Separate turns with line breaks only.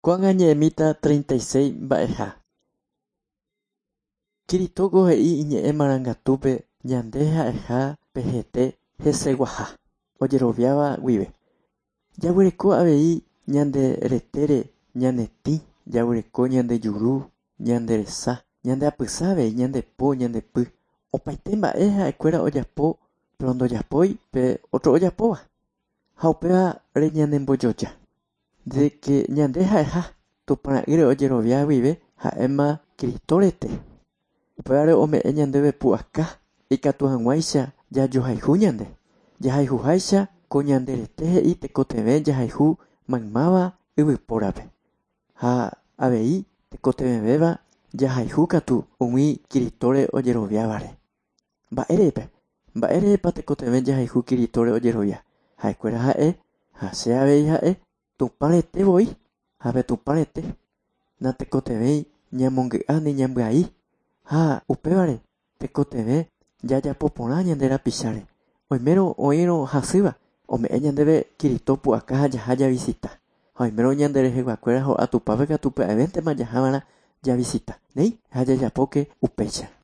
Ko'ág̃a ñe'ẽmíta 36 mba'eha. Kiritóko he'i iñe'ẽ marangatúpe ñande ha'eha pe hete heseguaha, ojeroviáva guive. Jaguereko avei ñande retére ñane tĩ, jaguereko ñande juru, ñande resa, ñande apysa avei, ñande po, ñande py. Opaite mba'e ha'ekuéra ojapo, pero ndojapói pe otro ojapóva. Ha upévare ñanembojoja. De que ñande ha'eha Tupãra'ýre ojerovia guive ha'éma Cristo rete. Upévare ome'ẽ ñandéve pu'aka ikatu hag̃uáicha jajohayhu ñande. Jahayhuháicha ko ñande rete he'i tekotevẽ jahayhu maymáva yvypórape. Ha avei tekotevẽvéva jahayhu katu umi Cristóre ojeroviávare. Mba'érepa? Mba'érepa tekotevẽ jahayhu Cristóre ojerovia? Ha'ekuéra ha'e ha che avei ha'e Tupã rete voi ha pe Tupã rete natekotevẽi ñamongy'a ni ñambyai ha upévare tekotevẽ jajapo porã ñande rapicháre. Oimérõ oĩrõ hasýva ome'ẽ ñandéve Cristo pu'aka ha jaha javisita. Ha oimérõ ñande reheguakuéra ho'a Tupãpe katu pya'evéntema jahava'erã javisita. Néi ha jajapóke upéicha.